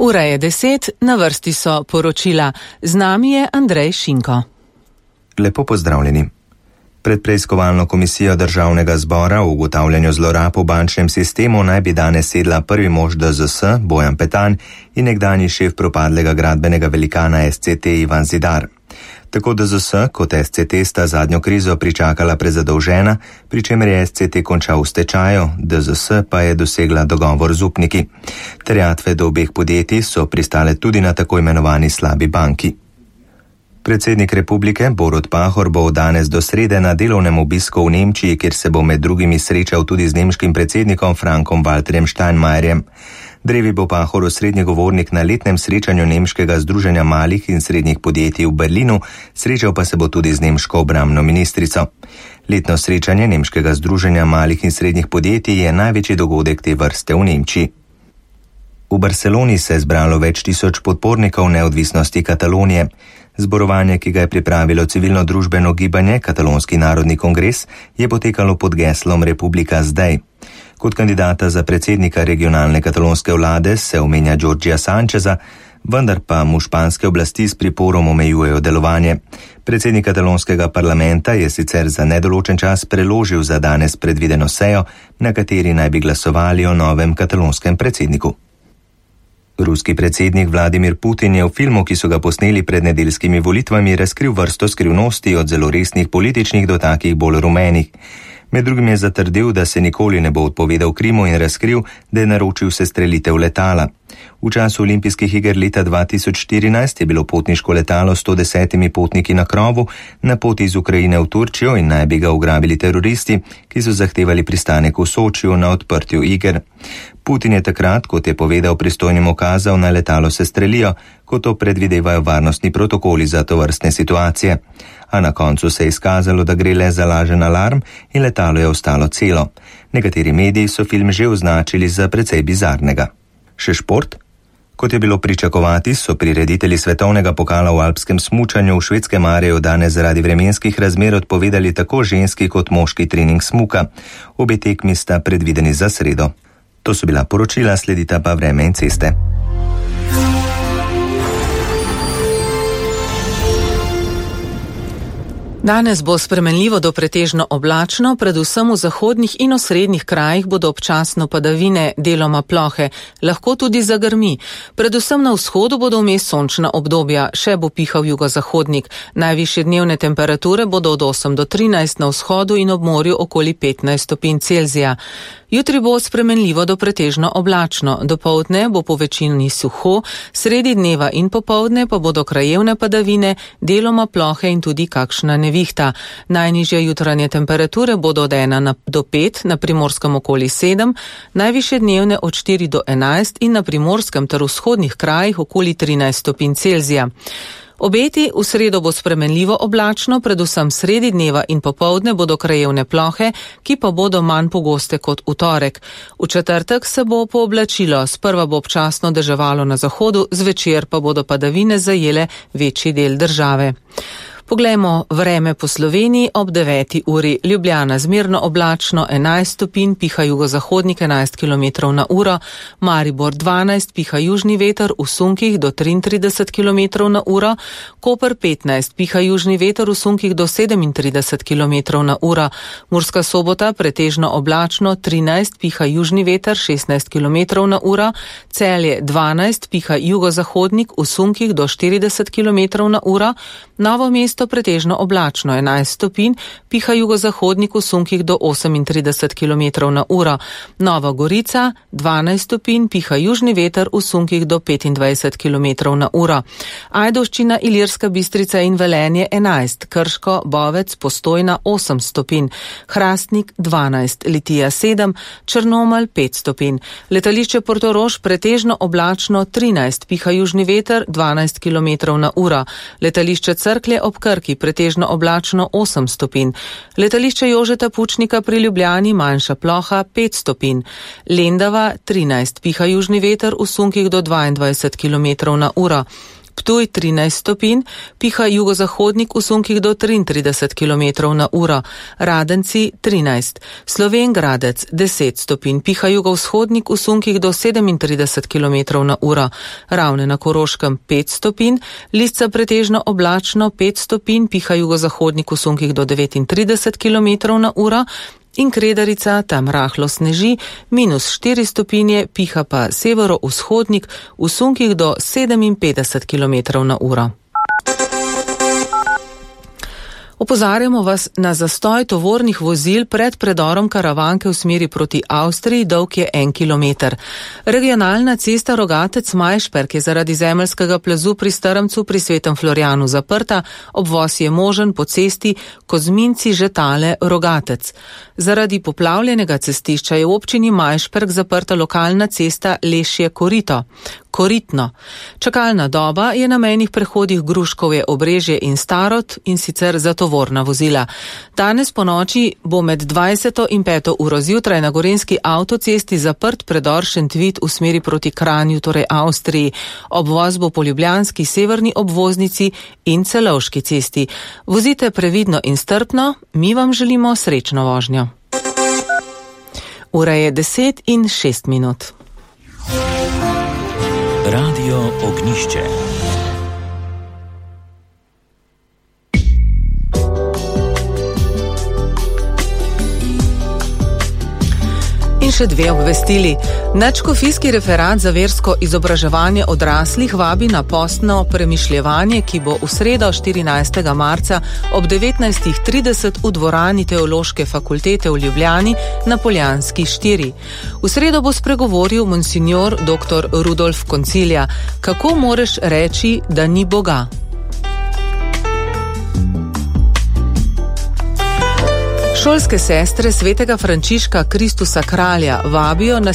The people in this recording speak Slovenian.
Ura je 10, na vrsti so poročila. Z nami je Andrej Šinko. Lepo pozdravljeni. Pred preiskovalno komisijo Državnega zbora o ugotavljanju zlorab v bančnem sistemu naj bi danes sedla prvi mož DZS Bojan Petan in nekdanji šef propadlega gradbenega velikana SCT Ivan Zidar. Tako DZS kot SCT sta zadnjo krizo pričakala prezadolžena, pri čemer je SCT končal v stečaju, DZS pa je dosegla dogovor z upniki. Terjatve do obeh podjetij so pristale tudi na tako imenovani slabi banki. Predsednik republike Borut Pahor bo danes do srede na delovnem obisku v Nemčiji, kjer se bo med drugimi srečal tudi z nemškim predsednikom Frankom Walterjem Steinmeierjem. Drevi bo Pahor osrednji govornik na letnem srečanju Nemškega združenja malih in srednjih podjetij v Berlinu, srečal pa se bo tudi z nemško obrambno ministrico. Letno srečanje Nemškega združenja malih in srednjih podjetij je največji dogodek te vrste v Nemčiji. V Barceloni se je zbralo več tisoč podpornikov neodvisnosti Katalonije. Zborovanje, ki ga je pripravilo civilno-družbeno gibanje Katalonski narodni kongres, je potekalo pod geslom Republika zdaj. Kot kandidata za predsednika regionalne katalonske vlade se omenja Jorgija Sancheza, vendar pa mu španske oblasti s priporom omejujejo delovanje. Predsednik katalonskega parlamenta je sicer za nedoločen čas preložil za danes predvideno sejo, na kateri naj bi glasovali o novem katalonskem predsedniku. Ruski predsednik Vladimir Putin je v filmu, ki so ga posneli pred nedeljskimi volitvami, razkril vrsto skrivnosti od zelo resnih političnih do takih bolj rumenih. Med drugim je zatrdil, da se nikoli ne bo odpovedal Krimu in razkril, da je naročil sestrelitev letala. V času olimpijskih iger leta 2014 je bilo potniško letalo s 110 potniki na krovu na poti iz Ukrajine v Turčijo in naj bi ga ugrabili teroristi, ki so zahtevali pristanek v Sočiju na odprtju iger. Putin je takrat, kot je povedal pristojnim, ukazal, na letalo sestrelijo, ko to predvidevajo varnostni protokoli za tovrstne situacije. A na koncu se je izkazalo, da gre le za lažen alarm in letalo je ostalo celo. Nekateri mediji so film že označili za precej bizarnega. Še šport? Kot je bilo pričakovati, so prireditelji svetovnega pokala v alpskem smučanju v Švedskem Mareju danes zaradi vremenskih razmer odpovedali tako ženski kot moški trening smuka. Obe tekmi sta predvideni za sredo. To so bila poročila, sledita pa vreme in ceste. Danes bo spremenljivo do pretežno oblačno, predvsem v zahodnih in osrednjih krajih bodo občasno padavine, deloma plohe, lahko tudi zagrmi. Predvsem na vzhodu bodo vmes sončna obdobja, še bo pihal jugozahodnik. Najvišje dnevne temperature bodo od 8 do 13 na vzhodu in ob morju okoli 15 stopinj Celzija. Jutri bo spremenljivo do pretežno oblačno, dopoldne bo po večini suho, sredi dneva in popoldne pa bodo krajevne padavine, deloma plohe in tudi kakšna nevihta. Najnižje jutranje temperature bodo od 1 do 5, na Primorskem okoli 7, najvišje dnevne od 4 do 11 in na Primorskem ter vzhodnih krajih okoli 13 stopinj Celzija. Obeti: v sredo bo spremenljivo oblačno, predvsem sredi dneva in popoldne bodo krajevne plohe, ki pa bodo manj pogoste kot v torek. V četrtek se bo pooblačilo, sprva bo občasno deževalo na zahodu, zvečer pa bodo padavine zajele večji del države. Poglejmo vreme po Sloveniji ob 9. uri. Ljubljana zmerno oblačno 11 stopinj, piha jugozahodnik 11 km na uro, Maribor 12, piha južni veter v sunkih do 33 km na uro, Koper 15, piha južni veter v sunkih do 37 km na uro, Murska Sobota pretežno oblačno 13, piha južni veter 16 km na uro, Celje 12, piha jugozahodnik v sunkih do 40 km na uro, Novo mesto pretežno oblačno 11 stopinj, piha jugozahodnik v sunkih do 38 km na uro. Nova Gorica 12 stopinj, piha južni veter v sunkih do 25 km na uro. Ajdovščina, Ilirska Bistrica in Velenje 11, Krško, Bovec, Postojna 8 stopinj, Hrastnik 12, Litija 7, Črnomelj 5 stopinj. Letališče Portorož pretežno oblačno 13, piha južni veter 12 km na uro. Letališče Cerklje ob Krki pretežno oblačno 8 stopinj. Letališče Jožeta Pučnika pri Ljubljani manjša ploha 5 stopinj. Lendava 13, piha južni veter v sunkih do 22 km na uro. Ptuj 13 stopinj, piha jugozahodnik v sunkih do 33 km na uro, Radenci 13, Slovenj Gradec 10 stopinj, piha jugovzhodnik v sunkih do 37 km na uro, Ravne na Koroškem 5 stopinj, Lisca pretežno oblačno 5 stopinj, piha jugozahodnik v sunkih do 39 km na uro in Kredarica, tam rahlo sneži, -4 stopinje, piha pa severovzhodnik v sunkih do 57 km na uro. Opozarjamo vas na zastoj tovornih vozil pred predorom Karavanke v smeri proti Avstriji, dolg je 1 kilometer. Regionalna cesta Rogatec-Majšperk je zaradi zemeljskega plazu pri Strmcu pri Svetem Florjanu zaprta, obvoz je možen po cesti Kozminci-Žetale-Rogatec. Zaradi poplavljenega cestišča je v občini Majšperk zaprta lokalna cesta Lešje-Koritno. Čakalna doba je na mejnih prehodih Gruškovje, Obrežje in Starod, in sicer za tovorna vozila. Danes po noči bo med 20. in 5. uro zjutraj na gorenjski avtocesti zaprt predor Šentvid v smeri proti Kranju, torej Avstriji. Obvoz bo po ljubljanski severni obvoznici in Celovški cesti. Vozite previdno in strpno, mi vam želimo srečno vožnjo. Ura je 10:06. Radio Ognišče. In še dve obvestili. Nadškofijski referat za versko izobraževanje odraslih vabi na postno premišljevanje, ki bo v sredo 14. marca ob 19.30 v dvorani Teološke fakultete v Ljubljani na Poljanski 4. V sredo bo spregovoril monsignor dr. Rudolf Koncilja. Kako moreš reči, da ni Boga? Šolske sestre svetega Frančiška Kristusa Kralja vabijo na